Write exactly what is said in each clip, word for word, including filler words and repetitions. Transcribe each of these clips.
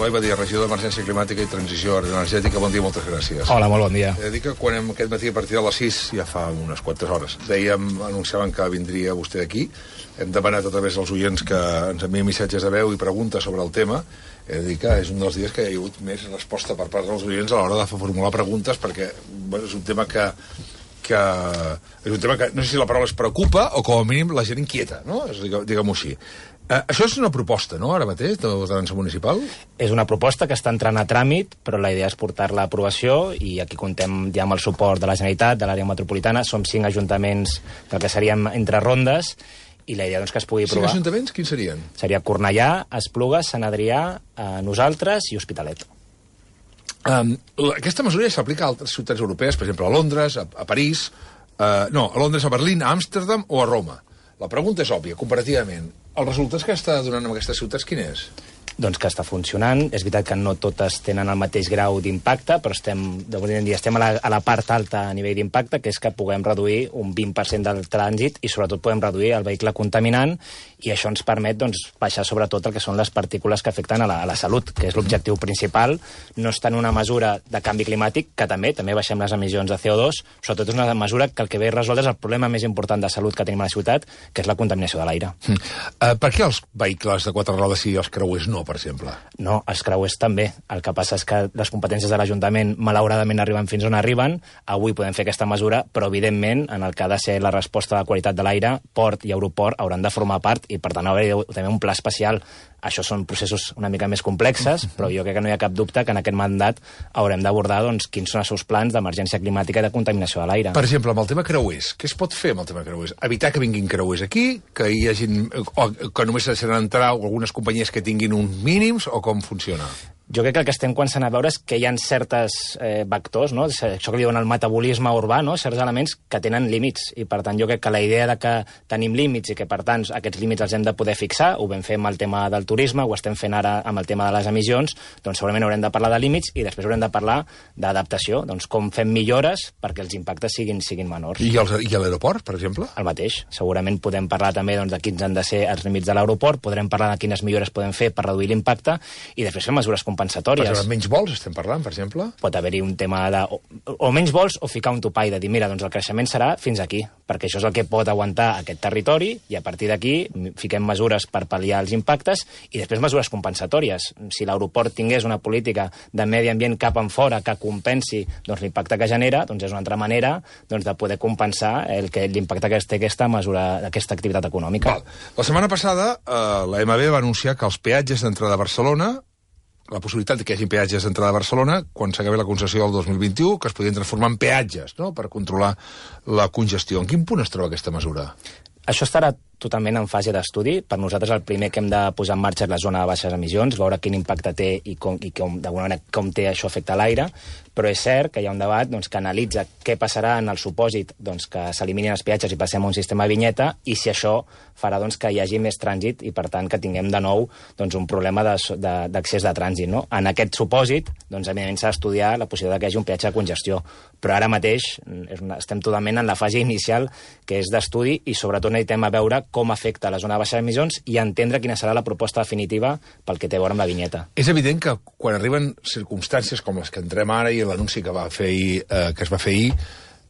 Eloi Badia, regidor d'Emergència Climàtica i Transició Energètica. Bon dia, moltes gràcies. Hola, molt bon dia. He de dir que quan hem, aquest matí a partir de les sis, ja fa unes quantes hores, dèiem, anunciaven que vindria vostè aquí. Hem demanat a través dels oients que ens envien missatges de veu i preguntes sobre el tema. He de dir que és un dels dies que hi ha hagut més resposta per part dels oients a l'hora de formular preguntes, perquè bueno, és un tema que... que és un tema que, no sé si la paraula es preocupa o com a mínim la gent inquieta, no? Diguem-ho així. Eh, això és una proposta, no?, ara mateix, de l'ordenança municipal? És una proposta que està entrant a tràmit, però la idea és portar-la a aprovació i aquí contem ja amb el suport de la Generalitat, de l'àrea metropolitana. Som cinc ajuntaments del que seríem entre rondes i la idea doncs, que es pugui aprovar. Cinc ajuntaments? Quins serien? Seria Cornellà, Esplugues, Sant Adrià, eh, nosaltres i Hospitalet. Um, aquesta mesura ja s'aplica a altres ciutats europees, per exemple, a Londres, a, a París, uh, no, a Londres, a Berlín, a Amsterdam o a Roma. La pregunta és òbvia, comparativament. Els resultats que està donant en aquestes ciutats, quin és? Doncs que està funcionant. És veritat que no totes tenen el mateix grau d'impacte, però estem, en dia, estem a, la, a la part alta a nivell d'impacte, que és que puguem reduir un vint per cent del trànsit i sobretot podem reduir el vehicle contaminant, i això ens permet doncs, baixar sobretot el que són les partícules que afecten a la, a la salut, que és l'objectiu principal. No és tant una mesura de canvi climàtic, que també, també baixem les emissions de C O dos, sobretot és una mesura que el que ve a resoldre és el problema més important de salut que tenim a la ciutat, que és la contaminació de l'aire. Mm. Uh, per què els vehicles de quatre rodes i els creuers no, per exemple? No, els creuers també. El que passa és que les competències de l'Ajuntament malauradament arriben fins on arriben. Avui podem fer aquesta mesura, però evidentment en el que ha de ser la resposta de la qualitat de l'aire, port i aeroport hauran de formar part i per tant haver també un pla especial. Això són processos una mica més complexes, però jo crec que no hi ha cap dubte que en aquest mandat haurem d'abordar doncs, quins són els seus plans d'emergència climàtica i de contaminació de l'aire. Per exemple, amb el tema creuers, què es pot fer amb el tema creuers? Evitar que vinguin creuers aquí, que hi hagin, o que només deixaran entrar algunes companyies que tinguin uns mínims, o com funciona? Jo crec que el que estem començant a veure és que hi ha certes eh, vectors, no? Això que li diuen el metabolisme urbà, no? Certs elements que tenen límits, i per tant jo crec que la idea de que tenim límits i que per tant aquests límits els hem de poder fixar, ho vam fer amb el tema del turisme, ho estem fent ara amb el tema de les emissions, doncs segurament haurem de parlar de límits i després haurem de parlar d'adaptació, doncs com fem millores perquè els impactes siguin, siguin menors. I, els, i a l'aeroport, per exemple? El mateix. Segurament podem parlar també doncs, de quins han de ser els límits de l'aeroport, podrem parlar de quines millores podem fer per reduir l'impacte i després fer mesures compensatòries. Per exemple, menys vols estem parlant, per exemple? Pot haver-hi un tema de... O, o menys vols o ficar un topall de dir, mira, doncs el creixement serà fins aquí, perquè això és el que pot aguantar aquest territori i a partir d'aquí fiquem mesures per pal·liar els impactes i després mesures compensatòries. Si l'aeroport tingués una política de medi ambient cap en fora que compensi doncs, l'impacte que genera, doncs és una altra manera doncs, de poder compensar el que l'impacte que té aquesta mesura, aquesta activitat econòmica. Val. La setmana passada eh, la M B va anunciar que els peatges d'entrada a Barcelona, la possibilitat que hi hagi peatges d'entrada a Barcelona, quan s'acabi la concessió del dos mil vint-i-u, que es podien transformar en peatges, no?, per controlar la congestió. En quin punt es troba aquesta mesura? Això estarà totalment en fase d'estudi. Per nosaltres el primer que hem de posar en marxa és la zona de baixes emissions, veure quin impacte té i com, i com d'alguna manera com té això afecta l'aire, però és cert que hi ha un debat doncs, que analitza què passarà en el supòsit doncs, que s'eliminin els peatges i passem a un sistema de vinyeta i si això farà doncs, que hi hagi més trànsit i per tant que tinguem de nou doncs, un problema d'accés de, de, de trànsit. No? En aquest supòsit doncs, evidentment s'ha d'estudiar la possibilitat que hi hagi un peatge de congestió, però ara mateix és una, estem totalment en la fase inicial que és d'estudi i sobretot necessitem a veure com afecta la zona de baixes emissions i entendre quina serà la proposta definitiva pel que té a veure amb la vinyeta. És evident que quan arriben circumstàncies com les que entrem ara i l'anunci que, va fer ahir, eh, que es va fer ahir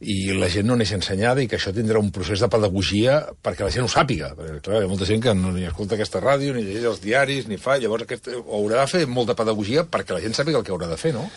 i la gent no neix ensenyada i que això tindrà un procés de pedagogia perquè la gent ho sàpiga. Perquè, clar, hi ha molta gent que no ni escolta aquesta ràdio, ni llegeix els diaris, ni fa... Llavors aquest, haurà de fer molta pedagogia perquè la gent sàpiga el que haurà de fer, no?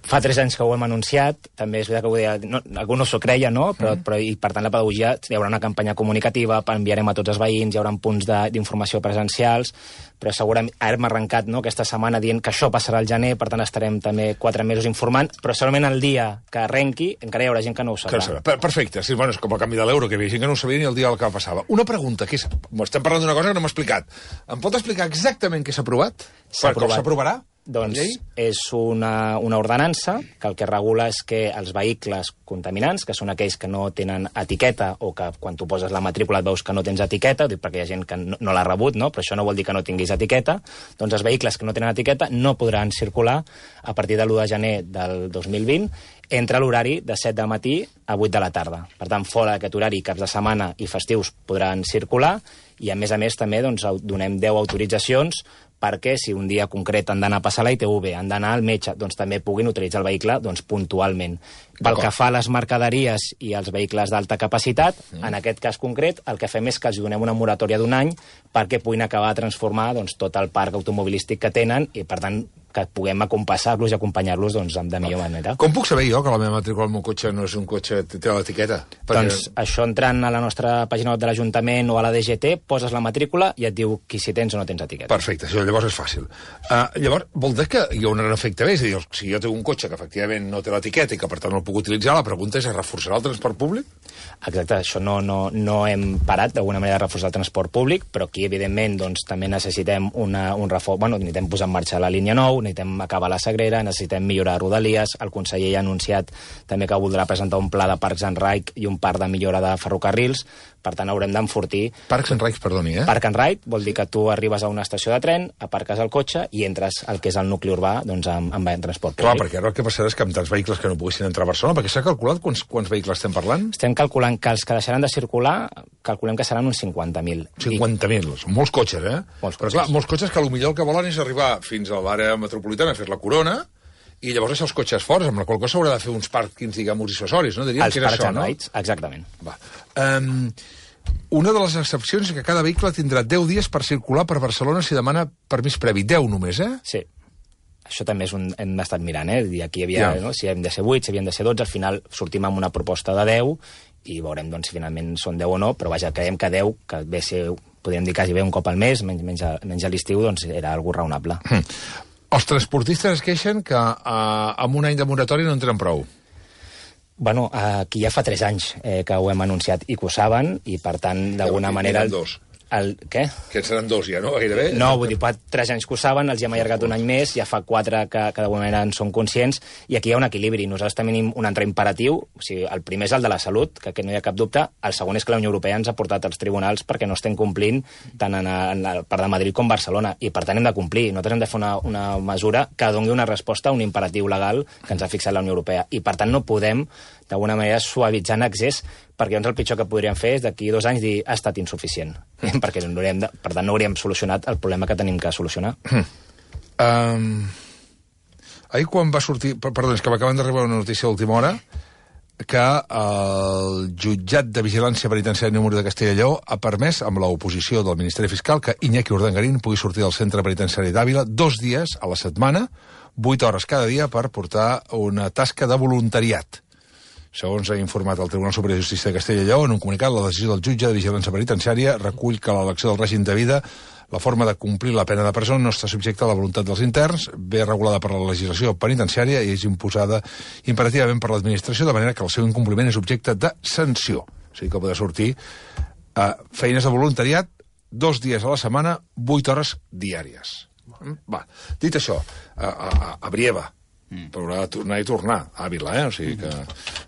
Fa tres anys que ho hem anunciat, també és veritat que ho deia, no, algú no s'ho creia, no? Però, mm. però, i per tant la pedagogia, hi haurà una campanya comunicativa, enviarem a tots els veïns, hi haurà punts d'informació presencials, però segurament ara hem arrencat no, aquesta setmana dient que això passarà al gener, per tant estarem també quatre mesos informant, però segurament el dia que arrenqui encara hi haurà gent que no ho sabrà. Perfecte, sí, bueno, és com el canvi de l'euro, que hi havia gent que no ho sabia ni el dia del que passava. Una pregunta, que és, estem parlant d'una cosa que no m'ha explicat. Em pot explicar exactament què s'ha aprovat? S'ha aprovat. S'aprovarà? Doncs és una, una ordenança que el que regula és que els vehicles contaminants, que són aquells que no tenen etiqueta o que quan tu poses la matrícula et veus que no tens etiqueta, dic perquè hi ha gent que no, no l'ha rebut, no? Però això no vol dir que no tinguis etiqueta, doncs els vehicles que no tenen etiqueta no podran circular a partir de l'u de gener del dos mil vint entre l'horari de set del matí a vuit de la tarda. Per tant, fora d'aquest horari, caps de setmana i festius podran circular i, a més a més, també doncs, donem deu autoritzacions perquè si un dia concret han d'anar a passar la I T V, han d'anar al metge, doncs també puguin utilitzar el vehicle doncs, puntualment. Pel que fa a les mercaderies i als vehicles d'alta capacitat, mm. en aquest cas concret, el que fem és que els donem una moratòria d'un any perquè puguin acabar de transformar doncs, tot el parc automobilístic que tenen i, per tant, que puguem acompassar-los i acompanyar-los doncs, de millor manera. Com puc saber jo que la meva matrícula del meu cotxe no és un cotxe que té l'etiqueta? Perquè... Doncs això entrant a la nostra pàgina web de l'Ajuntament o a la D G T, poses la matrícula i et diu qui si tens o no tens etiqueta. Perfecte, això llavors és fàcil. Uh, llavors, vol dir que hi ha un gran efecte més? És a dir, si jo tinc un cotxe que efectivament no té l'etiqueta i que per tant no el puc utilitzar, la pregunta és: es reforçarà el transport públic? Exacte, això no, no, no hem parat d'alguna manera de reforçar el transport públic, però aquí, evidentment, doncs, també necessitem una, un reforç, bueno, necessitem posar en marxa la línia nou, necessitem acabar la Sagrera, necessitem millorar Rodalies, el conseller ja ha anunciat també que voldrà presentar un pla de Parcs and Ride i un parc de millora de ferrocarrils, per tant haurem d'enfortir... Parcs and Ride, perdoni, eh? Park and Ride vol dir que tu arribes a una estació de tren, aparques el cotxe i entres al que és el nucli urbà doncs, amb, amb transport públic. Clar, perquè ara el que passarà és que amb tants vehicles que no poguessin entrar a Barcelona, perquè s'ha calculat quants, quants vehicles estem parlant? Estem calculant que els que deixaran de circular, calculem que seran uns cinquanta mil. cinquanta mil, són molts cotxes, eh? Molts Però cotxes. clar, molts cotxes que potser el que volen és arribar fins a l'àrea metropolitana, fer la corona, i llavors deixar els cotxes forts, amb la qual cosa s'haurà de fer uns pàrquings, diguem, dissuasoris, no? Diríem els que era Parks això, and no? Rides, exactament. Va. Um, una de les excepcions és que cada vehicle tindrà deu dies per circular per Barcelona si demana permís previ. deu només, eh? Sí. Això també és un, hem estat mirant, eh? Aquí hi havia, Ja. no? Si hem de ser vuit, si havien de ser dotze, al final sortim amb una proposta de deu i veurem doncs, si finalment són deu o no, però vaja, creiem que deu, que ve ser, podríem dir quasi bé un cop al mes, menys, menys, a, menys a l'estiu, doncs era algo raonable. Mm. Els transportistes es queixen que uh, amb un any de moratòria no en tenen prou. Bueno, aquí ja fa tres anys eh, que ho hem anunciat i que ho saben, i per tant, d'alguna manera... Dos. El, què? Que en seran dos ja, no? Gairebé. No, vull dir, fa tres anys que ho saben, els hi hem allargat un any més, ja fa quatre que, que d'alguna manera en són conscients, i aquí hi ha un equilibri. Nosaltres tenim un altre imperatiu, o sigui, el primer és el de la salut, que aquest no hi ha cap dubte, el segon és que la Unió Europea ens ha portat als tribunals perquè no estem complint tant en, en la part de Madrid com Barcelona, i per tant hem de complir. Nosaltres hem de fer una, una mesura que doni una resposta a un imperatiu legal que ens ha fixat la Unió Europea, i per tant no podem d'alguna manera suavitzar en excés, perquè llavors el pitjor que podríem fer és d'aquí dos anys dir ha estat insuficient, perquè no hauríem de, per tant no hauríem solucionat el problema que tenim que solucionar. Um, ahir quan va sortir... Perdó, és que m'acaben d'arribar una notícia d'última hora que el jutjat de vigilància penitenciària número de Castella i Lleó ha permès, amb l'oposició del Ministeri Fiscal, que Iñaki Urdangarín pugui sortir del centre penitenciari d'Àvila dos dies a la setmana, vuit hores cada dia, per portar una tasca de voluntariat. Segons ha informat el Tribunal Superior de Justícia de Castella i Lleó, en un comunicat, la decisió del jutge de vigilància penitenciària recull que l'elecció del règim de vida, la forma de complir la pena de presó, no està subjecta a la voluntat dels interns, ve regulada per la legislació penitenciària i és imposada imperativament per l'administració, de manera que el seu incompliment és objecte de sanció. O sigui que podrà sortir a feines de voluntariat dos dies a la setmana, vuit hores diàries. Va, dit això, a, a, a Brieva, Mm. però haurà de tornar i tornar a Àvila, eh? O sigui que...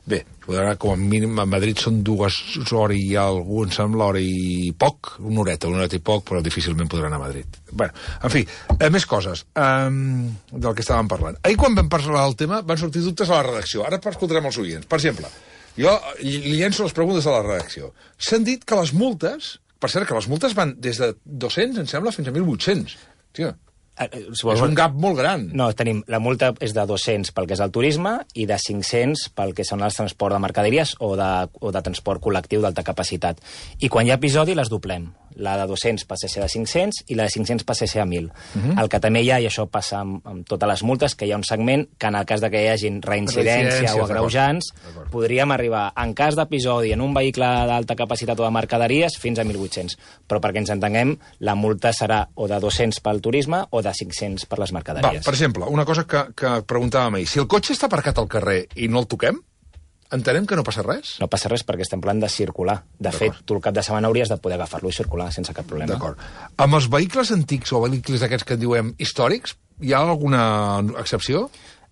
Bé, podrà, com a mínim, a Madrid són dues hores i algú, em sembla, hora i poc, una horeta, una horeta i poc, però difícilment podrà anar a Madrid. Bé, en fi, eh, més coses um, del que estàvem parlant. Ahir, quan vam parlar del tema, van sortir dubtes a la redacció. Ara escoltarem els oients. Per exemple, jo li llenço les preguntes a la redacció. S'han dit que les multes... Per cert, que les multes van des de dos-cents, em sembla, fins a mil vuit-cents. Tio, Si vols... és un gap molt gran. No, tenim, la multa és de dos-cents pel que és el turisme i de cinc-cents pel que són els transport de mercaderies o de, o de transport col·lectiu d'alta capacitat. I quan hi ha episodi les doblem. La de dos-cents passa a ser de cinc-cents i la de cinc-cents passa a ser a mil. Uh-huh. El que també hi ha, i això passa amb, amb totes les multes, que hi ha un segment que en el cas de que hi hagin reincidència o agreujants, podríem arribar, en cas d'episodi en un vehicle d'alta capacitat o de mercaderies, fins a mil vuit-cents. Però perquè ens entenguem, la multa serà o de dos-cents pel turisme o de cinc-cents per les mercaderies. Va, per exemple, una cosa que, que preguntàvem ahir. Si el cotxe està aparcat al carrer i no el toquem, entenem que no passa res? No passa res perquè estem parlant de circular. De fet, tu el cap de setmana hauries de poder agafar-lo i circular sense cap problema. D'acord. Amb els vehicles antics o vehicles aquests que en diuen històrics, hi ha alguna excepció?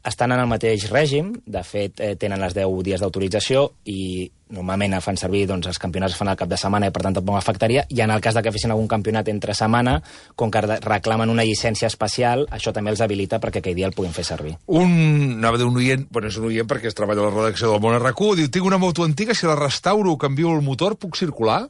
Estan en el mateix règim, de fet eh, tenen les deu dies d'autorització i normalment fan servir, doncs els campionats es fan al cap de setmana i per tant tampoc afectaria, i en el cas de que fessin algun campionat entre setmana, com que reclamen una llicència especial, això també els habilita perquè aquell dia el puguin fer servir. Un, anava a dir un oient, bueno, és un oient perquè es treballa a la redacció del Món R Q, diu, tinc una moto antiga, si la restauro o canvio el motor, puc circular?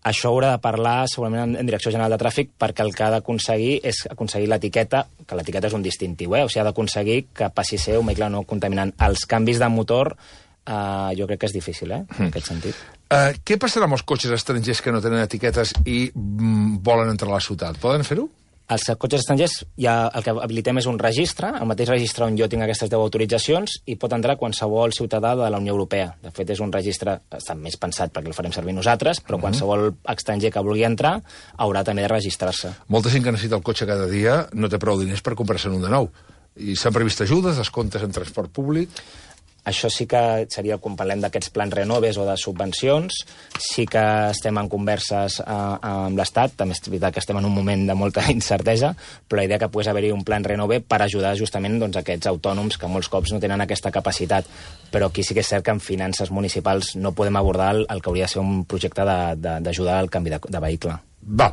Això haurà de parlar segurament en Direcció General de Tràfic, perquè el que ha d'aconseguir és aconseguir l'etiqueta, que l'etiqueta és un distintiu, eh? O sigui, ha d'aconseguir que passi a ser un vehicle no contaminant. Els canvis de motor eh, jo crec que és difícil, eh? En aquest sentit. Uh, què passarà amb els cotxes estrangers que no tenen etiquetes i mm, volen entrar a la ciutat? Poden fer-ho? Els cotxes estrangers, ja el que habilitem és un registre, el mateix registre on jo tinc aquestes deu autoritzacions, i pot entrar qualsevol ciutadà de la Unió Europea. De fet, és un registre, està més pensat perquè el farem servir nosaltres, però uh-huh. qualsevol estranger que vulgui entrar haurà també de registrar-se. Molta gent que necessita el cotxe cada dia no té prou diners per comprar-se'n un de nou. I s'han previst ajudes, descomptes en transport públic... Això sí que seria, quan parlem d'aquests plans renoves o de subvencions, sí que estem en converses eh, amb l'Estat, també és veritat que estem en un moment de molta incertesa, però la idea que pogués haver-hi un plan renove per ajudar justament doncs, aquests autònoms que molts cops no tenen aquesta capacitat. Però aquí sí que és cert que en finances municipals no podem abordar el, el que hauria de ser un projecte d'ajudar al canvi de, de vehicle. Val.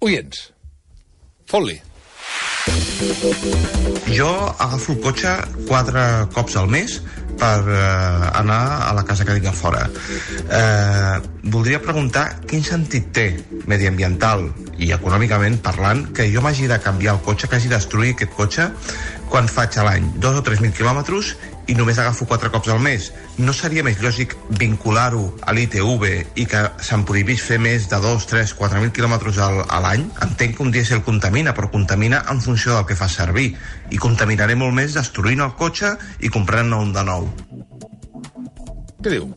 Oients, fot-li. Jo agafo el cotxe quatre cops al mes per eh, anar a la casa que tinc a fora. Eh, voldria preguntar quin sentit té mediambiental i econòmicament parlant que jo m'hagi de canviar el cotxe, que hagi de destruir aquest cotxe quan faig a l'any dos o tres mil quilòmetres i només agafo quatre cops al mes. No seria més lògic vincular-ho a l'I T V i que se'n prohibís fer més de dos, tres, quatre mil quilòmetres a l'any? Entenc que un dièsel contamina, però contamina en funció del que fa servir. I contaminaré molt més destruint el cotxe i comprant-ne un de nou. Què diu?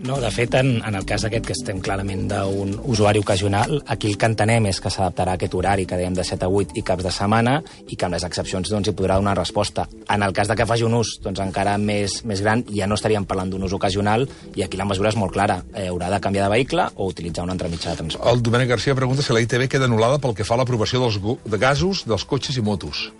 No, de fet, en, en el cas aquest que estem clarament d'un usuari ocasional, aquí el que entenem és que s'adaptarà a aquest horari que dèiem de set a vuit i caps de setmana i que amb les excepcions doncs, hi podrà donar resposta. En el cas de que faci un ús doncs, encara més, més gran, ja no estaríem parlant d'un ús ocasional i aquí la mesura és molt clara. Eh, haurà de canviar de vehicle o utilitzar un altre mitjà de transport. El Domènec Garcia pregunta si la I T V queda anul·lada pel que fa a l'aprovació dels de gasos dels cotxes i motos.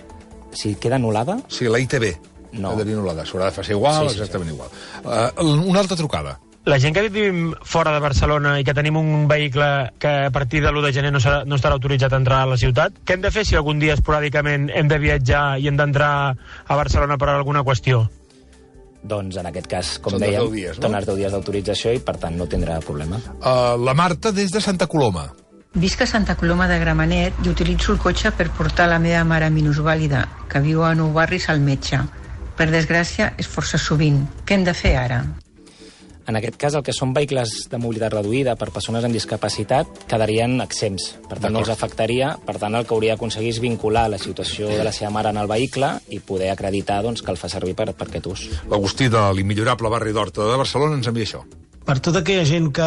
Si queda anul·lada? Sí, la I T V. No. Quedaria anul·lada. S'haurà de fer igual, sí, sí, exactament sí. igual. Uh, una altra trucada. La gent que vivim fora de Barcelona i que tenim un vehicle que a partir de l'u de gener no, serà, no estarà autoritzat a entrar a la ciutat, què hem de fer si algun dia esporàdicament hem de viatjar i hem d'entrar a Barcelona per alguna qüestió? Doncs en aquest cas, com Són dèiem, dies, no? són els deu dies d'autorització i per tant no tindrà problema. Uh, la Marta des de Santa Coloma. Visc a Santa Coloma de Gramenet i utilitzo el cotxe per portar la meva mare minusvàlida, que viu a Nou Barris, al metge. Per desgràcia, és força sovint. Què hem de fer ara? En aquest cas, el que són vehicles de mobilitat reduïda per persones amb discapacitat quedarien exempts. Per tant, no els afectaria. Per tant, el que hauria d'aconseguir és vincular la situació de la seva mare en el vehicle i poder acreditar doncs, que el fa servir per, per aquest ús. L'Agustí de l'immillorable barri d'Horta de Barcelona ens envia això. Per tota aquella gent que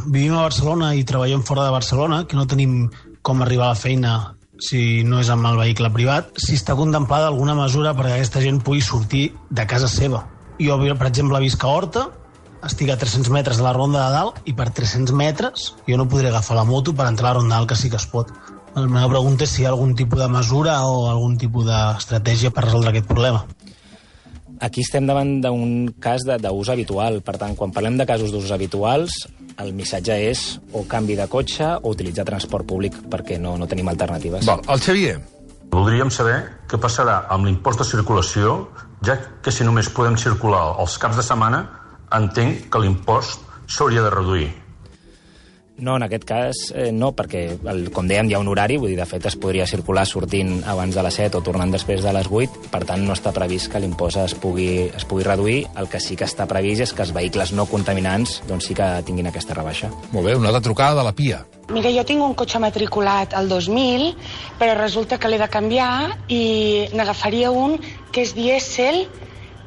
vivim a Barcelona i treballem fora de Barcelona, que no tenim com arribar a la feina si no és amb el vehicle privat, si està contemplada alguna mesura perquè aquesta gent pugui sortir de casa seva. Jo, per exemple, visc a Horta, estic a tres-cents metres de la Ronda de Dalt i per tres-cents metres jo no podré agafar la moto per entrar a la Ronda de Dalt, que sí que es pot. La meva pregunta és si hi ha algun tipus de mesura o algun tipus d'estratègia per resoldre aquest problema. Aquí estem davant d'un cas d'ús habitual. Per tant, quan parlem de casos d'ús habituals, el missatge és o canvi de cotxe o utilitzar transport públic perquè no, no tenim alternatives. Val, el Xavier. Voldríem saber què passarà amb l'impost de circulació, ja que si només podem circular els caps de setmana, entenc que l'impost s'hauria de reduir. No, en aquest cas eh, no, perquè, el, com dèiem, hi ha un horari, vull dir, de fet es podria circular sortint abans de les set o tornant després de les vuit, per tant no està previst que l'impost es pugui, es pugui reduir. El que sí que està previst és que els vehicles no contaminants doncs sí que tinguin aquesta rebaixa. Molt bé, una altra trucada de la Pia. Mira, jo tinc un cotxe matriculat al dos mil, però resulta que l'he de canviar i n'agafaria un que és dièsel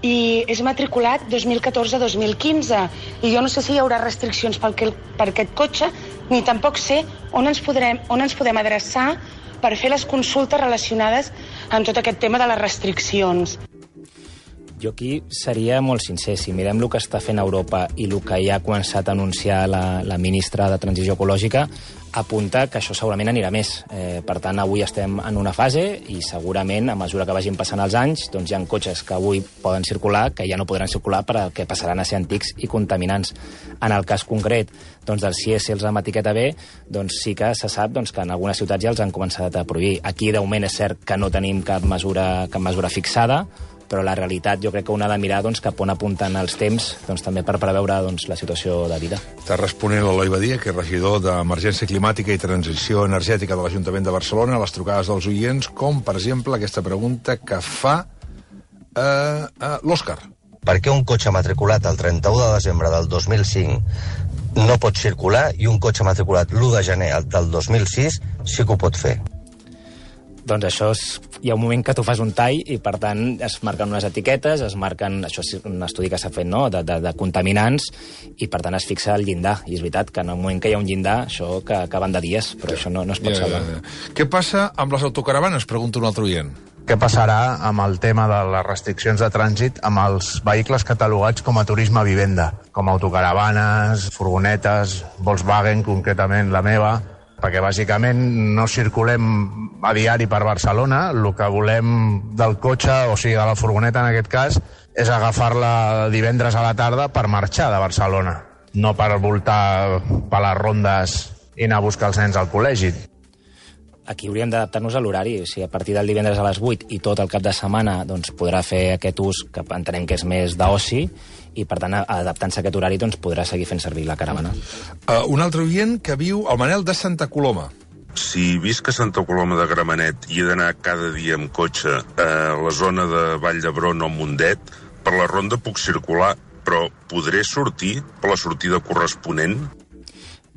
i és matriculat dos mil catorze dos mil quinze. I jo no sé si hi haurà restriccions per, que, per aquest cotxe, ni tampoc sé on ens, podrem, on ens podem adreçar per fer les consultes relacionades amb tot aquest tema de les restriccions. Jo aquí seria molt sincer. Si mirem el que està fent Europa i el que ja ha començat a anunciar la, la ministra de Transició Ecològica, apunta que això segurament anirà més. Eh, per tant, avui estem en una fase i segurament, a mesura que vagin passant els anys, doncs hi ha cotxes que avui poden circular que ja no podran circular perquè passaran a ser antics i contaminants. En el cas concret doncs, dels dièsels amb etiqueta B, doncs sí que se sap doncs, que en algunes ciutats ja els han començat a prohibir. Aquí, de moment, és cert que no tenim cap mesura, cap mesura fixada, però la realitat jo crec que una ha de mirar doncs, cap on apunten els temps doncs, també per preveure doncs, la situació de vida. Està responent l'Eloi Badia, que és regidor d'Emergència Climàtica i Transició Energètica de l'Ajuntament de Barcelona, a les trucades dels oients, com, per exemple, aquesta pregunta que fa eh, eh, l'Òscar. Per què un cotxe matriculat el trenta-u de desembre del dos mil cinc no pot circular i un cotxe matriculat l'u de gener del dos mil sis sí que ho pot fer? Doncs això és, hi ha un moment que tu fas un tall i, per tant, es marquen unes etiquetes, es marquen, això és un estudi que s'ha fet, no?, de, de, de contaminants, i, per tant, es fixa el llindar. I és veritat que en el moment que hi ha un llindar, això que acaben de dies, però ja, això no, no es pot ja, salvar. Ja, ja. Què passa amb les autocaravanes? Pregunta un altre oient. Què passarà amb el tema de les restriccions de trànsit amb els vehicles catalogats com a turisme vivenda, com autocaravanes, furgonetes, Volkswagen, concretament la meva, perquè bàsicament no circulem a diari per Barcelona, el que volem del cotxe, o sigui, de la furgoneta en aquest cas, és agafar-la divendres a la tarda per marxar de Barcelona, no per voltar per les rondes i anar a buscar els nens al col·legi. Aquí hauríem d'adaptar-nos a l'horari, o sigui, a partir del divendres a les vuit i tot el cap de setmana doncs, podrà fer aquest ús que entenem que és més d'oci, i, per tant, adaptant-se a aquest horari, doncs, podrà seguir fent servir la caravana. Uh, un altre oient que viu al Manel de Santa Coloma. Si visc a Santa Coloma de Gramenet i he d'anar cada dia amb cotxe a la zona de Vall d'Hebron o Mundet, per la ronda puc circular, però podré sortir per la sortida corresponent?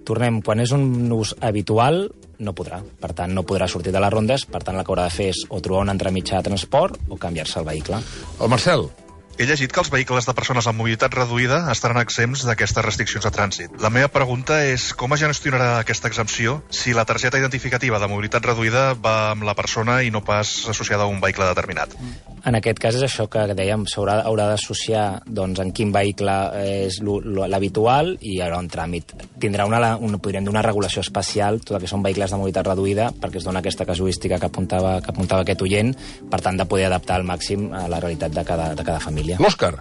Tornem, quan és un ús habitual, no podrà. Per tant, no podrà sortir de les rondes, per tant, el que haurà de fer és o trobar un altre mitjà de transport o canviar-se el vehicle. El Marcel. He llegit que els vehicles de persones amb mobilitat reduïda estaran exempts d'aquestes restriccions de trànsit. La meva pregunta és com es gestionarà aquesta exempció si la targeta identificativa de mobilitat reduïda va amb la persona i no pas associada a un vehicle determinat? En aquest cas és això que dèiem, s'haurà haurà d'associar doncs, en quin vehicle és l'habitual i hi haurà un tràmit. Tindrà una, una, podríem dir una regulació especial, tot el que són vehicles de mobilitat reduïda, perquè es dona aquesta casuística que apuntava, que apuntava aquest oient, per tant, de poder adaptar al màxim a la realitat de cada, de cada família. L'Òscar.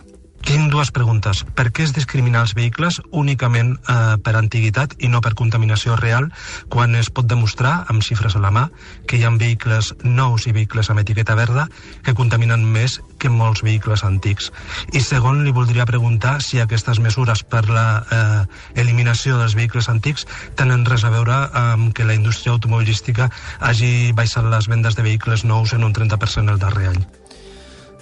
Tinc dues preguntes. Per què es discrimina els vehicles únicament eh, per antiguitat i no per contaminació real, quan es pot demostrar, amb xifres a la mà, que hi ha vehicles nous i vehicles amb etiqueta verda que contaminen més que molts vehicles antics? I segon, li voldria preguntar si aquestes mesures per la eh, eliminació dels vehicles antics tenen res a veure amb que la indústria automobilística hagi baixat les vendes de vehicles nous en un trenta per cent el darrer any.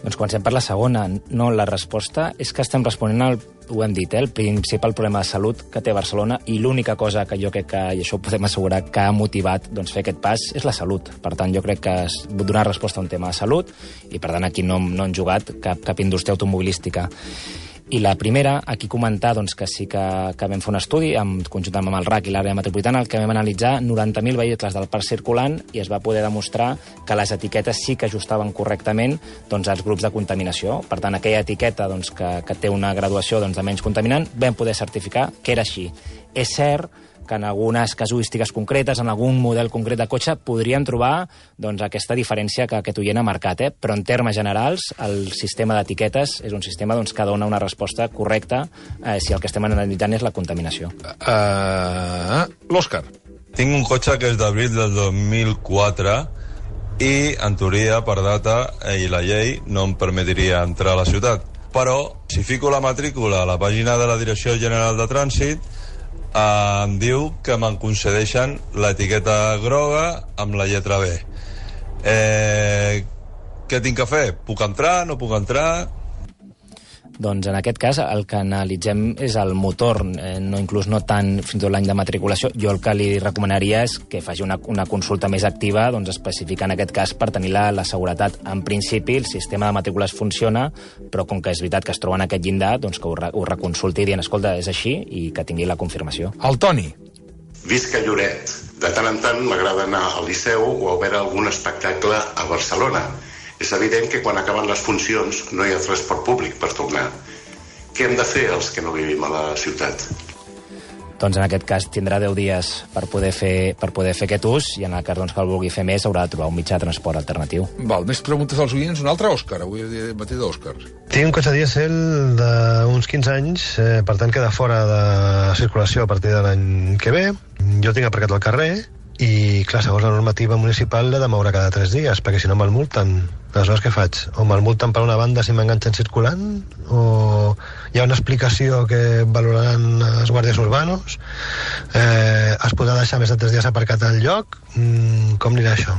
Doncs comencem per la segona. No, la resposta és que estem responent al, ho hem dit, eh, el principal problema de salut que té Barcelona, i l'única cosa que jo crec que, i això ho podem assegurar, que ha motivat doncs, fer aquest pas és la salut. Per tant, jo crec que es donar resposta a un tema de salut i, per tant, aquí no, no han jugat cap, cap indústria automobilística. I la primera, aquí comentar doncs, que sí que, que vam fer un estudi amb, conjuntament amb el R A C i l'àrea metropolitana, el que vam analitzar noranta mil vehicles del parc circulant i es va poder demostrar que les etiquetes sí que ajustaven correctament doncs, als grups de contaminació. Per tant, aquella etiqueta doncs, que, que té una graduació doncs, de menys contaminant, vam poder certificar que era així. És cert que en algunes casuístiques concretes, en algun model concret de cotxe, podrien trobar doncs, aquesta diferència que aquest oient ha marcat, eh? Però en termes generals, el sistema d'etiquetes és un sistema doncs, que dona una resposta correcta eh, si el que estem analitzant és la contaminació. Uh, L'Òscar. Tinc un cotxe que és d'abril del dos mil quatre i, en teoria, per data i la llei no em permetria entrar a la ciutat. Però, si fico la matrícula a la pàgina de la Direcció General de Trànsit, Uh, em diu que me'n concedeixen l'etiqueta groga amb la lletra B. Eh, què tinc que fer? Puc entrar? No puc entrar? Doncs en aquest cas el que analitzem és el motor, eh, no inclús no tant fins i tot l'any de matriculació. Jo el que li recomanaria és que faci una, una consulta més activa, doncs especificar en aquest cas per tenir la, la seguretat. En principi el sistema de matrícules funciona, però com que és veritat que es troba en aquest llindar, doncs que ho, re, ho reconsulti dient, escolta, és així, i que tingui la confirmació. El Toni. Visc a Lloret. De tant en tant m'agrada anar al Liceu o a veure algun espectacle a Barcelona. És evident que quan acaben les funcions no hi ha transport públic per tornar. Què hem de fer els que no vivim a la ciutat? Doncs en aquest cas tindrà deu dies per poder fer, per poder fer aquest ús, i en el cas doncs, que el vulgui fer més haurà de trobar un mitjà de transport alternatiu. Val, més preguntes als oients. Un altre Òscar, avui he matí d'Òscar. Tinc un cotxe dièsel d'uns quinze anys, eh, per tant queda fora de circulació a partir de l'any que ve. Jo tinc aparcat al carrer i, clar, segons la normativa municipal l'he de moure cada tres dies, perquè si no me'l multen. Aleshores, què faig? O me'l multen per una banda si m'enganxen circulant, o hi ha una explicació que valoraran els guàrdies urbanos, eh, es podrà deixar més de tres dies aparcat al lloc, mm, com anirà això?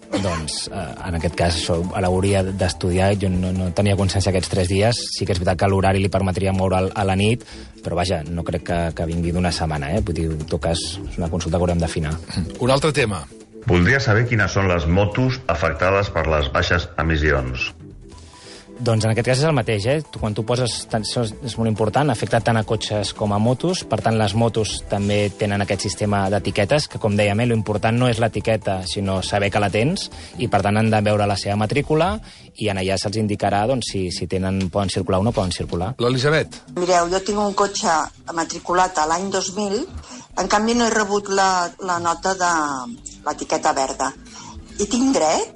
Doncs, eh, en aquest cas, això l'hauria d'estudiar. Jo no, no tenia consciència aquests tres dies. Sí que és veritat que l'horari li permetria moure a la nit, però vaja, no crec que, que vingui d'una setmana, eh? Vull dir, en tot cas, és una consulta que haurem d'afinar. Un altre tema. Voldria saber quines són les motos afectades per les baixes emissions. Doncs en aquest cas és el mateix, eh? Tu, quan tu poses, això és molt important, afecta tant a cotxes com a motos, per tant les motos també tenen aquest sistema d'etiquetes, que com dèiem, eh, l'important no és l'etiqueta, sinó saber que la tens, i per tant han de veure la seva matrícula, i en allà se'ls indicarà doncs, si, si tenen, poden circular o no poden circular. L'Elisabet. Mireu, jo tinc un cotxe matriculat a l'any dos mil, en canvi no he rebut la, la nota de l'etiqueta verda. I tinc dret?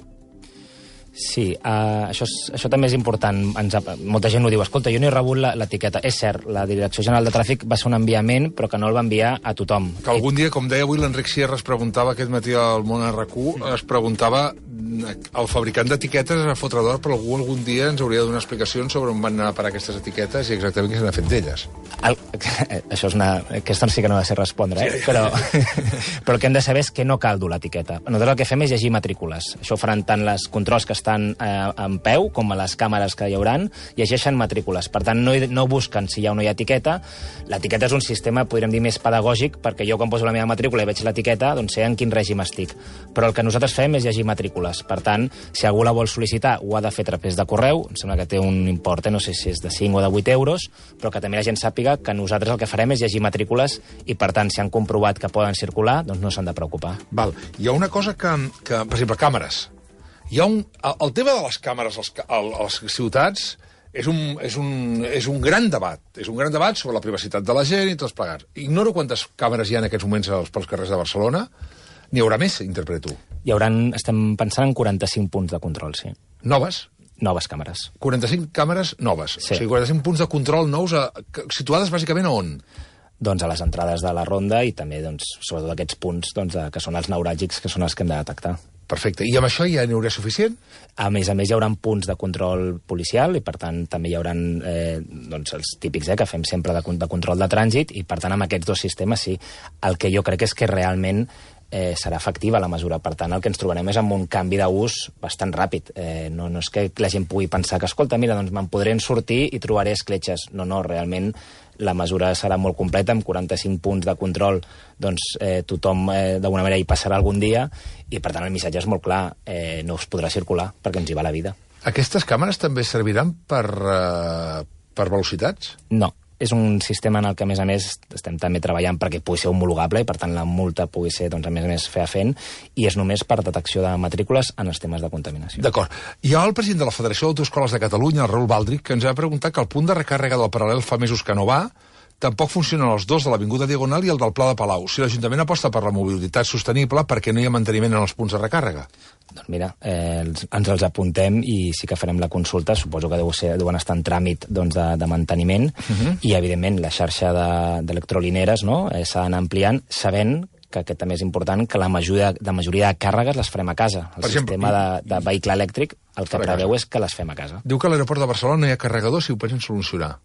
Sí, uh, això, és, això també és important. Ens, molta gent ho diu, escolta, jo no he rebut l'etiqueta. És cert, la Direcció General de Tràfic va ser un enviament, però que no el va enviar a tothom. Que algun dia, com deia avui l'Enric Sierra, es preguntava aquest matí al Món R Q, es preguntava el fabricant d'etiquetes a fotre d'or, però algú algun dia ens hauria de donar explicacions sobre on van anar a parar aquestes etiquetes i exactament què s'han fet d'elles. El, això és una... Aquesta sí que no ha de ser respondre, eh? Però, però el que hem de saber és que no cal dur l'etiqueta. Nosaltres el que fem és llegir matrícules. Això ho faran tant les controls que estan eh, en peu com a les càmeres que hi hauran, llegeixen matrícules. Per tant, no, no busquen si hi ha o no hi ha etiqueta. L'etiqueta és un sistema, podríem dir, més pedagògic, perquè jo quan poso la meva matrícula i veig l'etiqueta, doncs sé en quin règim estic. Però el que nosaltres fem és llegir matrícules. Per tant, si algú la vol sol·licitar, ho ha de fer a través de correu. Em sembla que té un import, eh? No sé si és de cinc o de vuit euros, però que també la gent sàpiga que nosaltres el que farem és llegir matrícules i, per tant, si han comprovat que poden circular, doncs no s'han de preocupar. Val. Hi ha una cosa que, que per exemple, càmeres. Hi ha un, el, el tema de les càmeres als, a les ciutats és un, és, un, és un gran debat. És un gran debat sobre la privacitat de la gent i tots plegats. Ignoro quantes càmeres hi ha en aquests moments pels carrers de Barcelona. N'hi haurà més, interpreto. Hi hauran, estem pensant en quaranta-cinc punts de control, sí. Noves? Noves càmeres. quaranta-cinc càmeres noves. Sí. O sigui, quaranta-cinc punts de control nous a, situades bàsicament a on? Doncs a les entrades de la ronda i també, doncs, sobretot aquests punts doncs, de, que són els neuràlgics, que són els que hem de detectar. Perfecte. I amb això ja n'hi haurà suficient? A més a més, hi haurà punts de control policial i, per tant, també hi haurà eh, doncs, els típics eh, que fem sempre de, de control de trànsit i, per tant, amb aquests dos sistemes, sí. El que jo crec és que realment eh, serà efectiva la mesura. Per tant, el que ens trobarem és amb un canvi d'ús bastant ràpid. Eh, no, no és que la gent pugui pensar que, escolta, mira, doncs me'n podré sortir i trobaré escletxes. No, no, realment la mesura serà molt completa, amb quaranta-cinc punts de control, doncs eh, tothom eh, d'alguna manera hi passarà algun dia i, per tant, el missatge és molt clar, eh, no us podrà circular perquè ens hi va la vida. Aquestes càmeres també serviran per, uh, per velocitats? No. És un sistema en el que, a més a més, estem també treballant perquè pugui ser homologable i, per tant, la multa pugui ser, doncs, a més a més, fefaent, i és només per detecció de matrícules en els temes de contaminació. D'acord. Hi ha el president de la Federació d'Autoescoles de Catalunya, el Raül Baldric, que ens va preguntar que el punt de recàrrega del Paral·lel fa mesos que no va, tampoc funcionen els dos de l'Avinguda Diagonal i el del Pla de Palau. Si l'Ajuntament aposta per la mobilitat sostenible, per què no hi ha manteniment en els punts de recàrrega? Doncs mira, eh, ens els apuntem i sí que farem la consulta. Suposo que deu ser, deuen estar en tràmit doncs, de, de manteniment uh-huh. i, evidentment, la xarxa d'electrolineres, no? eh, s'ha d'anar ampliant, sabent que aquest també és important, que la majoria, la majoria de càrregues les farem a casa. El per sistema exemple, de, de vehicle elèctric el que preveu és que les fem a casa. Diu que a l'aeroport de Barcelona no hi ha carregador, si ho pensen solucionar.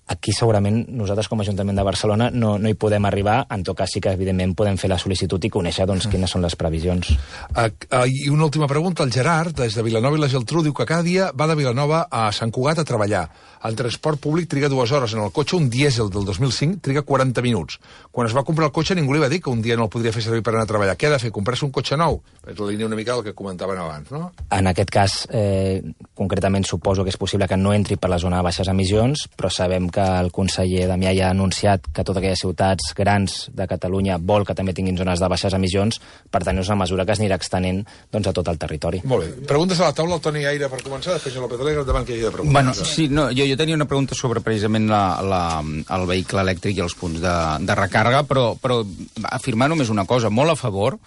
Aquí segurament nosaltres com a Ajuntament de Barcelona no, no hi podem arribar, en tot cas sí que evidentment podem fer la sol·licitud i conèixer doncs, quines són les previsions. Uh, uh, I una última pregunta, el Gerard, des de Vilanova i la Geltrú, diu que cada dia va de Vilanova a Sant Cugat a treballar. El transport públic triga dues hores, en el cotxe un dièsel del dos mil cinc triga quaranta minuts. Quan es va comprar el cotxe ningú li va dir que un dia no el podria fer servir per anar a treballar. Què ha de fer, comprar-se un cotxe nou? És la línia una mica del que comentaven abans, no? En aquest cas, eh, concretament suposo que és possible que no entri per la zona de baixes emissions, però sabem que el conseller Damià ja ha anunciat que totes aquelles ciutats grans de Catalunya vol que també tinguin zones de baixes emissions, per tant és una mesura que es anirà extenent doncs, a tot el territori. Molt bé. Preguntes a la taula, el Toni Aire per començar, després el López Alegre, davant que hi hagi de preguntar. Bueno, sí, no, jo, jo tenia una pregunta sobre precisament la, la, el vehicle elèctric i els punts de, de recàrrega, però, però afirmar només una cosa, molt a favor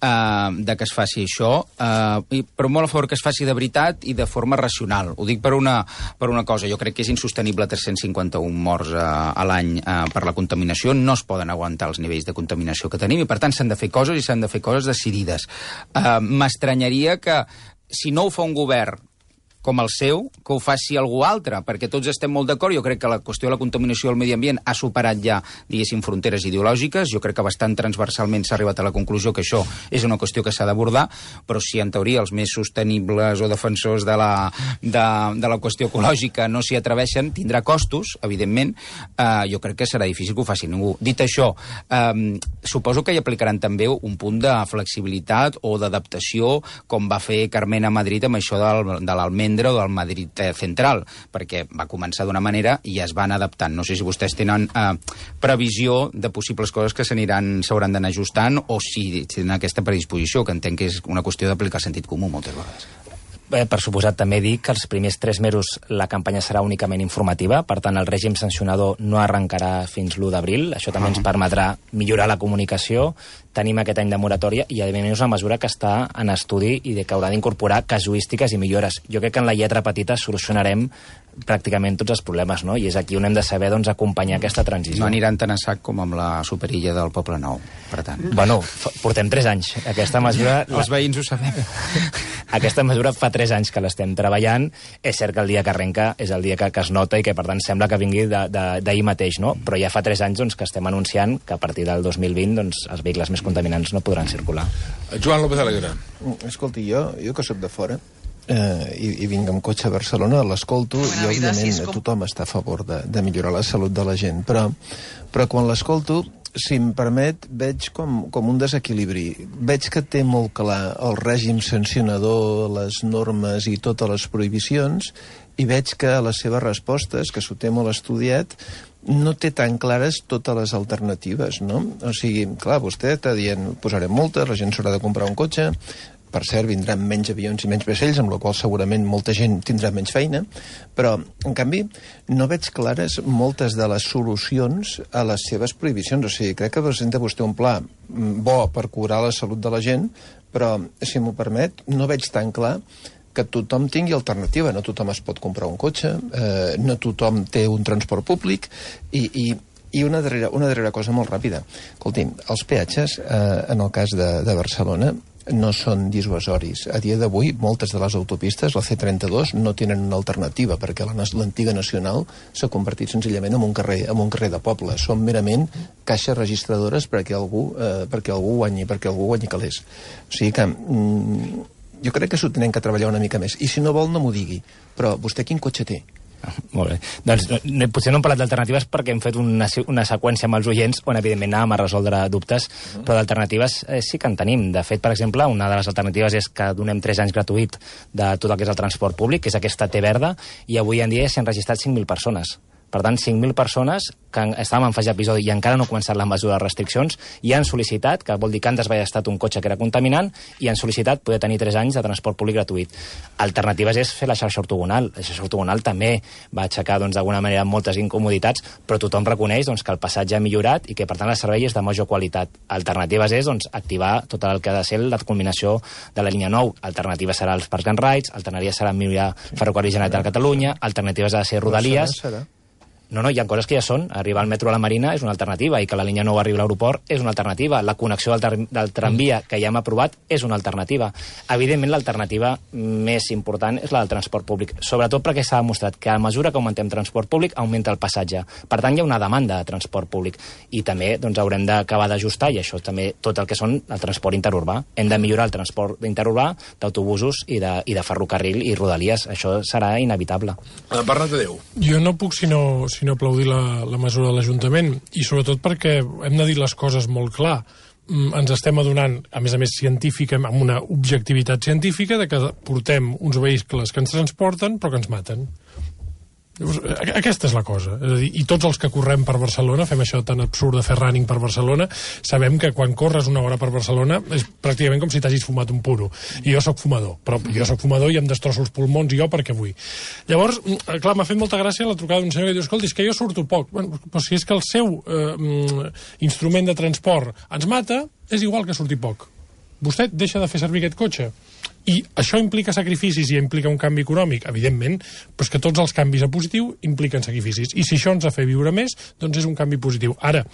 eh, de que es faci això, eh, però molt a favor que es faci de veritat i de forma forma racional. Ho dic per una, per una cosa. Jo crec que és insostenible tres-cents cinquanta-un morts a, a l'any a, per la contaminació. No es poden aguantar els nivells de contaminació que tenim i, per tant, s'han de fer coses i s'han de fer coses decidides. Uh, M'estranyaria que, si no ho fa un govern com el seu, que ho faci algú altre, perquè tots estem molt d'acord. Jo crec que la qüestió de la contaminació del medi ambient ha superat ja, diguéssim, fronteres ideològiques. Jo crec que bastant transversalment s'ha arribat a la conclusió que això és una qüestió que s'ha d'abordar, però si en teoria els més sostenibles o defensors de la, de, de la qüestió ecològica no s'hi atreveixen, tindrà costos, evidentment. Eh, jo crec que serà difícil que ho faci ningú. Dit això, eh, suposo que hi aplicaran també un punt de flexibilitat o d'adaptació, com va fer Carmen a Madrid amb això del, de l'almendra o del Madrid Central, perquè va començar d'una manera i es van adaptant. No sé si vostès tenen eh, previsió de possibles coses que s'aniran, s'hauran d'anar ajustant, o si tenen aquesta predisposició, que entenc que és una qüestió d'aplicar sentit comú moltes vegades. Eh, per suposat, també dic que els primers tres mesos la campanya serà únicament informativa, per tant el règim sancionador no arrencarà fins l'u d'abril. Això també ens permetrà millorar la comunicació. Tenim aquest any de moratòria i, a més, és una mesura que està en estudi i de que haurà d'incorporar casuístiques i millores. Jo crec que en la lletra petita solucionarem pràcticament tots els problemes, no? I és aquí on hem de saber, doncs, acompanyar aquesta transició. No aniran tan a sac com amb la superilla del Poble Nou, per tant. Bueno, portem tres anys. Aquesta mesura... Els veïns ho sabem. Aquesta mesura fa tres anys que l'estem treballant. És cert que el dia que arrenca és el dia que, que es nota i que, per tant, sembla que vingui d'ahir mateix, no? Però ja fa tres anys, doncs, que estem anunciant que a partir del dos mil vint, doncs, els vehicles més contaminants no podran circular. Joan López Alegre. Escolti, jo, jo que soc de fora, eh, i, i vinc amb cotxe a Barcelona, l'escolto i, òbviament, tothom està a favor de, de millorar la salut de la gent, però, però quan l'escolto, si em permet, veig com, com un desequilibri. Veig que té molt clar el règim sancionador, les normes i totes les prohibicions, i veig que a les seves respostes, que s'ho té molt estudiat, no té tan clares totes les alternatives, no? O sigui, clar, vostè està dient, posarem multes, la gent s'haurà de comprar un cotxe, per cert, vindran menys avions i menys vaixells, amb la qual segurament molta gent tindrà menys feina, però, en canvi, no veig clares moltes de les solucions a les seves prohibicions. O sigui, crec que presenta vostè un pla bo per curar la salut de la gent, però, si m'ho permet, no veig tan clar que tothom tingui alternativa. No tothom es pot comprar un cotxe, eh, no tothom té un transport públic, i, i, i una, darrera, una darrera cosa molt ràpida. Escolti'm, els peatges, eh, en el cas de, de Barcelona, no són dissuasoris. A dia d'avui, moltes de les autopistes, la C trenta-dos, no tenen una alternativa, perquè l'antiga nacional s'ha convertit senzillament en un carrer, en un carrer de poble. Són merament caixes registradores perquè algú, eh, perquè algú guanyi, perquè algú guanyi calés. O sigui que... Mm, jo crec que s'ho tenen que treballar una mica més. I si no vol, no m'ho digui. Però vostè quin cotxe té? Ah, molt bé. Doncs no, potser no hem parlat d'alternatives perquè hem fet una, una seqüència amb els oients on, evidentment, anàvem a resoldre dubtes, uh-huh. però d'alternatives eh, sí que en tenim. De fet, per exemple, una de les alternatives és que donem tres anys gratuït de tot el que és el transport públic, que és aquesta T verda, i avui en dia s'han registrat cinc mil persones. Per tant, cinc mil persones que estàvem en fase d'episodi i encara no ha començat la mesura de restriccions i han sol·licitat, que vol dir que han desballestat un cotxe que era contaminant, i han sol·licitat poder tenir tres anys de transport públic gratuït. Alternatives és fer la xarxa ortogonal. La xarxa ortogonal també va aixecar, doncs, d'alguna manera, moltes incomoditats, però tothom reconeix, doncs, que el passatge ha millorat i que, per tant, el servei és de major qualitat. Alternatives és, doncs, activar tot el que ha de ser la culminació de la línia nou. Alternativa serà els Park and Rides, alternativa serà millorar Ferrocarril Generalitat de Catalunya, alternatives ha de ser Rodalies... No, no, hi ha coses que ja són. Arribar al metro a la Marina és una alternativa i que la línia nou arribi a l'aeroport és una alternativa. La connexió del, del tramvia que ja hem aprovat és una alternativa. Evidentment, l'alternativa més important és la del transport públic, sobretot perquè s'ha demostrat que a mesura que augmentem transport públic augmenta el passatge. Per tant, hi ha una demanda de transport públic i també, doncs, haurem d'acabar d'ajustar, i això també tot el que són el transport interurbà. Hem de millorar el transport interurbà d'autobusos i de, i de ferrocarril i rodalies. Això serà inevitable. Bernat de Déu. Jo no puc sinó sinó aplaudir la, la mesura de l'Ajuntament, i sobretot perquè hem de dir les coses molt clar. Mm, ens estem adonant, a més a més científica, amb una objectivitat científica, de que portem uns vehicles que ens transporten però que ens maten. Aquesta és la cosa. És a dir, i tots els que correm per Barcelona, fem això tan absurd de fer running per Barcelona, sabem que quan corres una hora per Barcelona és pràcticament com si t'hagis fumat un puro. I jo sóc fumador, però jo sóc fumador i em destrosso els pulmons i jo perquè vull. Llavors, clar, m'ha fet molta gràcia la trucada d'un senyor que diu, escolti, és que jo surto poc. Bueno, però si és que el seu eh, instrument de transport ens mata, és igual que surti poc. Vostè deixa de fer servir aquest cotxe. I això implica sacrificis i implica un canvi econòmic, evidentment, però és que tots els canvis a positiu impliquen sacrificis. I si això ens ha fet viure més, doncs és un canvi positiu. Ara,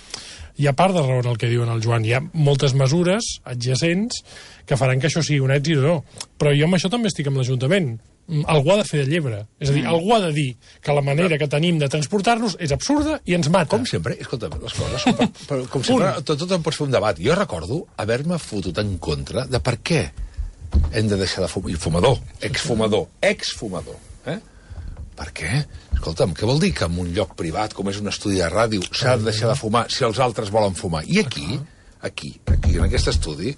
hi ha part de raó en el que diuen el Joan. Hi ha moltes mesures adjacents que faran que això sigui un èxit o no. Però jo amb això també estic amb l'Ajuntament. Algú ha de fer de llebre. És a dir, algú ha de dir que la manera que tenim de transportar-nos és absurda i ens mata. Com sempre, escolta, les coses són per, per, com sempre, tot, tot en pots fer un debat. Jo recordo haver-me fotut en contra de per què hem de deixar de fumar. Fumador, exfumador, exfumador. Eh? Per què? Escolta'm, què vol dir que en un lloc privat, com és un estudi de ràdio, s'ha de deixar de fumar si els altres volen fumar? I aquí, aquí, aquí, en aquest estudi,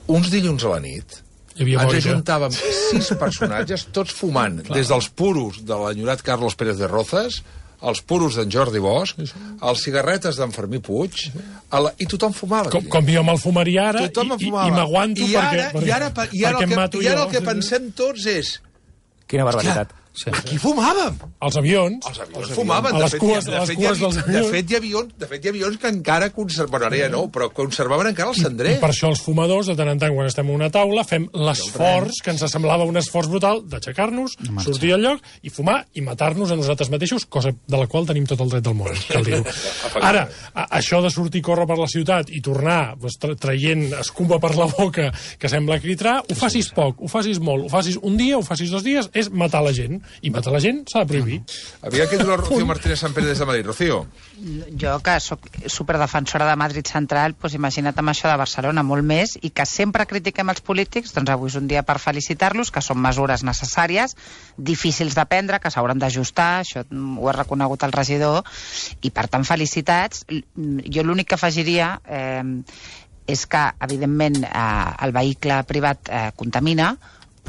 uns dilluns a la nit, ens ajuntàvem sis personatges, tots fumant, des dels puros de l'enyorat Carlos Pérez de Rozas, els puros d'en Jordi Bosch, els cigarretes d'en Fermí Puig, la... i tothom fumava. Com, com jo me'l fumaria ara, i, i, i m'aguanto perquè, perquè, i ara, perquè, i ara, perquè el que, i ara el que pensem tots és... Quina barbaritat. Sí. Aquí fumàvem. Els avions. Els avions fumaven. A les cues, de fet, cues dels avions. De fet, hi ha avions, de fet, hi ha avions que encara conservaven, ara ja no, però conservaven encara el cendrer. I per això els fumadors, de tant en tant, quan estem a una taula, fem l'esforç, que ens semblava un esforç brutal, d'aixecar-nos, sortir al lloc i fumar i matar-nos a nosaltres mateixos, cosa de la qual tenim tot el dret del món, cal dir-ho. Ara, a, això de sortir i córrer per la ciutat i tornar pues, tra traient escuma per la boca que sembla critrar, ho facis poc, ho facis molt, ho facis un dia, ho facis dos dies, és matar la gent. I matar la gent s'ha de prohibir. Havia que dir la Rocío Martínez Sampere des de Madrid. Rocío. Jo, que soc superdefensora de Madrid Central, doncs imagina't amb això de Barcelona, molt més, i que sempre critiquem els polítics, doncs avui és un dia per felicitar-los, que són mesures necessàries, difícils de prendre, que s'hauran d'ajustar, això ho ha reconegut el regidor, i per tant felicitats. Jo l'únic que afegiria eh, és que, evidentment, eh, el vehicle privat eh, contamina,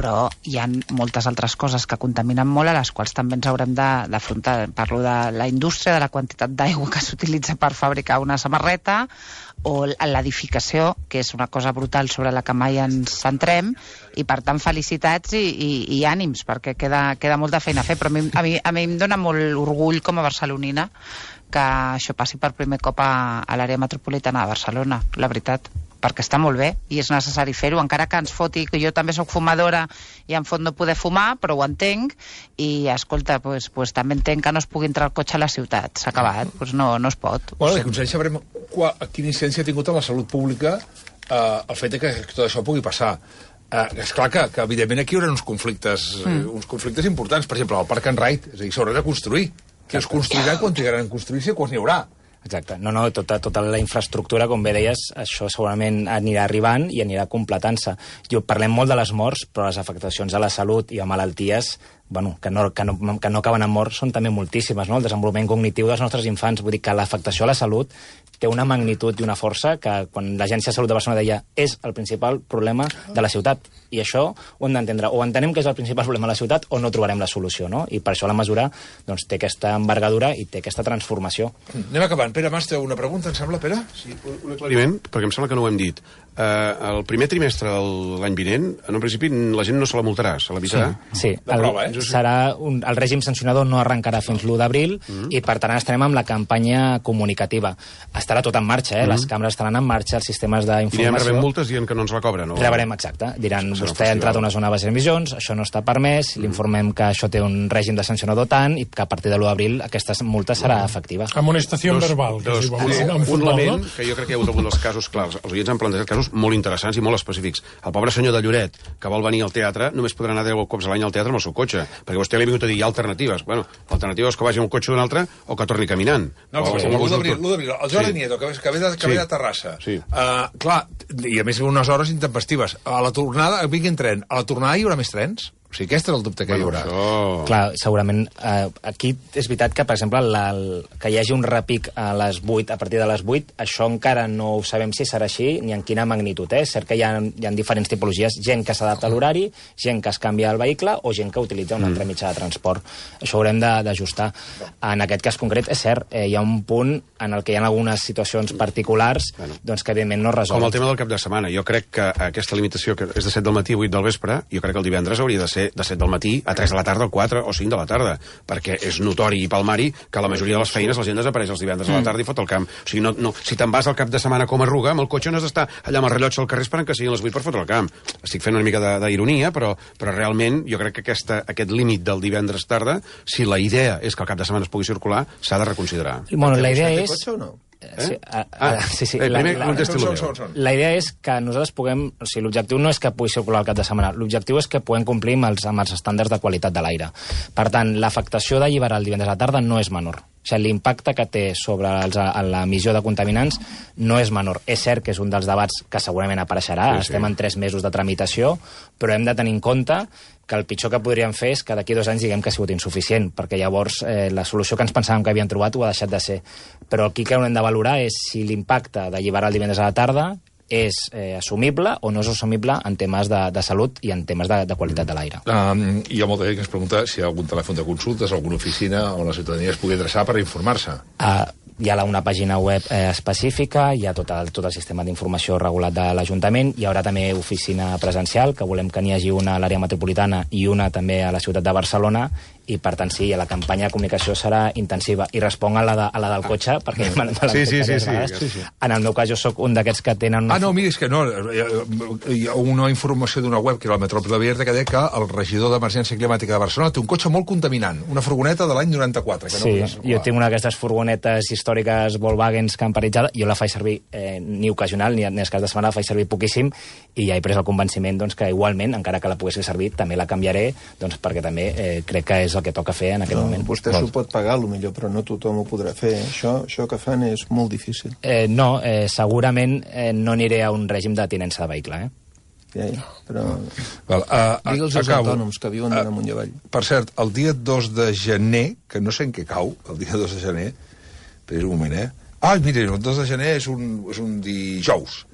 però hi ha moltes altres coses que contaminen molt, a les quals també ens haurem d'afrontar. Parlo de la indústria, de la quantitat d'aigua que s'utilitza per fabricar una samarreta, o l'edificació, que és una cosa brutal sobre la que mai ens centrem, i per tant felicitats i, i, i ànims, perquè queda, queda molta feina a fer, però a mi, a, mi, a mi em dona molt orgull com a barcelonina que això passi per primer cop a, a l'àrea metropolitana de Barcelona, la veritat, perquè està molt bé i és necessari fer-ho, encara que ens foti, que jo també sóc fumadora i em fot no poder fumar, però ho entenc, i escolta, pues, pues, també entenc que no es pugui entrar al cotxe a la ciutat, s'ha acabat, pues no, no es pot. Bueno, de consell sabrem quina incidència ha tingut en la salut pública eh, el fet que tot això pugui passar. Eh, és clar que, que evidentment aquí hi haurà uns conflictes, mm. uns conflictes importants, per exemple, el Park and Ride, és a dir, s'haurà de construir. Que es construirà quan trigaran a construir-se, quan n'hi haurà. Exacte. No, no, tota, tota la infraestructura, com bé deies, això segurament anirà arribant i anirà completant-se. Parlem molt de les morts, però les afectacions a la salut i a malalties, bueno, que, no, que, no, que no acaben en mort, són també moltíssimes, no? El desenvolupament cognitiu dels nostres infants, vull dir que l'afectació a la salut té una magnitud i una força que quan l'Agència de Salut de Barcelona deia és el principal problema de la ciutat. I això ho hem d'entendre. O entenem que és el principal problema de la ciutat o no trobarem la solució, no? I per això la mesura doncs, té aquesta envergadura i té aquesta transformació. Anem acabant. Pere Mas, té una pregunta, em sembla, Pere? Sí, un aclariment, perquè em sembla que no ho hem dit. Uh, el primer trimestre de l'any vinent, en un principi la gent no se la multarà, se l'avisarà. Sí, sí. El, prova, eh? serà un, el règim sancionador no arrencarà fins l'u d'abril mm. i per tant estarem amb la campanya comunicativa. Estarà tot en marxa, eh? Mm. Les càmeres estaran en marxa, els sistemes d'informació... I anem rebent multes dient que no ens la cobren, no? Rebrem, exacte. Diran, vostè ha entrat a una zona de baixes emissions, això no està permès, mm. l'informem que això té un règim de sancionador tant i que a partir de l'u d'abril aquesta multa serà mm. efectiva. Amonestació verbal. Dos, dos, sí, un futbol, element no? Que jo crec que hi ha hagut algun dels casos clars. Els oients han plantejat casos molt interessants i molt específics. El pobre senyor de Lloret, que vol venir al teatre, només podrà anar deu cops a l'any al teatre amb el seu cotxe, perquè vostè li ha vingut a dir hi ha alternatives. Bueno, l'alternativa és que vagi amb un cotxe d'un altre o que torni caminant. No, o, l'u d'abril, el Jordi sí. Nieto, que, que ve de, que sí. ve de Terrassa. Sí. Uh, clar, i a més unes hores intempestives. A la tornada, vingui en tren. A la tornada hi haurà més trens? O sigui, aquest és el dubte que bueno, hi haurà. Això... Clar, segurament, eh, aquí és veritat que, per exemple, la, el, que hi hagi un repic a les vuit, a partir de les vuit, això encara no ho sabem si serà així ni en quina magnitud. Eh? És cert que hi ha, hi ha diferents tipologies, gent que s'adapta a l'horari, gent que es canvia el vehicle o gent que utilitza un altre mitjà de transport. Això ho haurem d'ajustar. En aquest cas concret, és cert, eh, hi ha un punt en el que hi ha algunes situacions particulars bueno, doncs que, evidentment, no resol. Com el tema del cap de setmana. Jo crec que aquesta limitació, que és de set del matí a vuit del vespre, jo crec que el divendres hauria de ser ser de set del matí a tres de la tarda, o quatre o cinc de la tarda, perquè és notori i palmari que la majoria de les feines la gent desapareix els divendres a la tarda i fot el camp. O sigui, no, no, si te'n vas al cap de setmana com a arruga, amb el cotxe no has d'estar allà amb el rellotge al carrer esperant que siguin les vuit per fotre el camp. Estic fent una mica d'ironia, però, però realment jo crec que aquesta, aquest límit del divendres tarda, si la idea és que el cap de setmana es pugui circular, s'ha de reconsiderar. Bueno, la idea és... Cotxe o no? Eh? Sí, a, a, ah, sí, sí. Eh, primer, la, la, la, la idea és que nosaltres puguem... O sigui, l'objectiu no és que pugui circular el cap de setmana, l'objectiu és que puguem complir amb els, amb els estàndards de qualitat de l'aire. Per tant, l'afectació d'alliberar el divendres a la tarda no és menor. O sigui, l'impacte que té sobre els, l'emissió de contaminants no és menor. És cert que és un dels debats que segurament apareixerà, sí, estem sí. en tres mesos de tramitació, però hem de tenir en compte que el pitjor que podríem fer és que d'aquí dos anys diguem que ha sigut insuficient, perquè llavors eh, la solució que ens pensàvem que havien trobat ho ha deixat de ser. Però aquí que hem de valorar és si l'impacte d'alliberar el divendres a la tarda és eh, assumible o no és assumible en temes de, de salut i en temes de, de qualitat de l'aire. Um, hi ha molta gent que ens pregunta si hi ha algun telèfon de consultes, alguna oficina on la ciutadania es pugui adreçar per informar-se. Uh, hi ha una pàgina web eh, específica, hi ha tot el, tot el sistema d'informació regulat de l'Ajuntament, hi haurà també oficina presencial, que volem que n'hi hagi una a l'àrea metropolitana i una també a la ciutat de Barcelona, i per tant sí, la campanya de comunicació serà intensiva. I responc a la, de, a la del cotxe, perquè me, me l'han sí, fet sí, sí, sí, sí, sí. En el meu cas jo sóc un d'aquests que tenen... Una... Ah, no, mira, és que no, hi ha una informació d'una web que era la Metròpoli Abierta que deia que el regidor d'Emergència Climàtica de Barcelona té un cotxe molt contaminant, una furgoneta de l'any noranta-quatre. Que sí, no jo tinc una d'aquestes furgonetes històriques Volkswagen camperitzada, jo la faig servir eh, ni ocasional, ni en el cas de setmana la faig servir poquíssim, i ja he pres el convenciment doncs, que igualment, encara que la pogués fer servir, també la canviaré, doncs, perquè també eh, crec que és el que toca fer en aquest no, moment. Vostè s'ho pot pagar, potser, però no tothom ho podrà fer. Això, això que fan és molt difícil. Eh, no, eh, segurament eh, no aniré a un règim de tinença de vehicle, eh? Ja, ja, però... Val, uh, Digue'ls als autònoms que viuen uh, amunt i avall. Per cert, el dia dos de gener, que no sé en què cau, el dia dos de gener, però un moment, eh? Ah, mira, el dos de gener és un, és un dijous.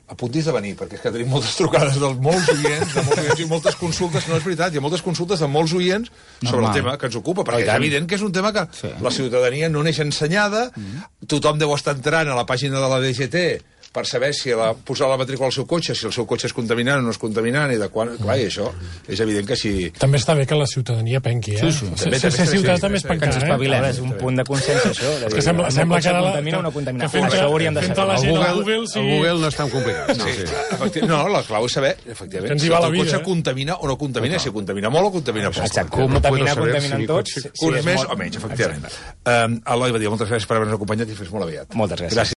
Apuntis de venir, perquè és que tenim moltes trucades de molts oients, de molts oients i moltes consultes, no és veritat, hi ha moltes consultes de molts oients sobre Normal. el tema que ens ocupa, perquè és evident que és un tema que sí. la ciutadania no neix ensenyada, mm. tothom deu estar entrant a la pàgina de la D G T per saber si la, posar la matrícula al seu cotxe, si el seu cotxe és contaminant o no és contaminant, i de quan... Clar, i això és evident que si... També està bé que la ciutadania penqui, eh? Sí, sí. També, ser ciutadà també és pencar, eh? Espavilem. És un punt de consens, això. És que sembla, sembla que ara... La, contamina o no contamina. Que fent, això hauríem de saber. El Google, Google, sí. el Google no és tan complicat. No, sí. Sí. No, la clau és saber, efectivament, si el teu cotxe contamina o no contamina, si contamina molt o contamina poc. Exacte, contamina, contaminen tots. Uns més o menys, efectivament. Eloi Badia, moltes gràcies per haver-nos acompanyat i fins molt aviat. Moltes gràcies.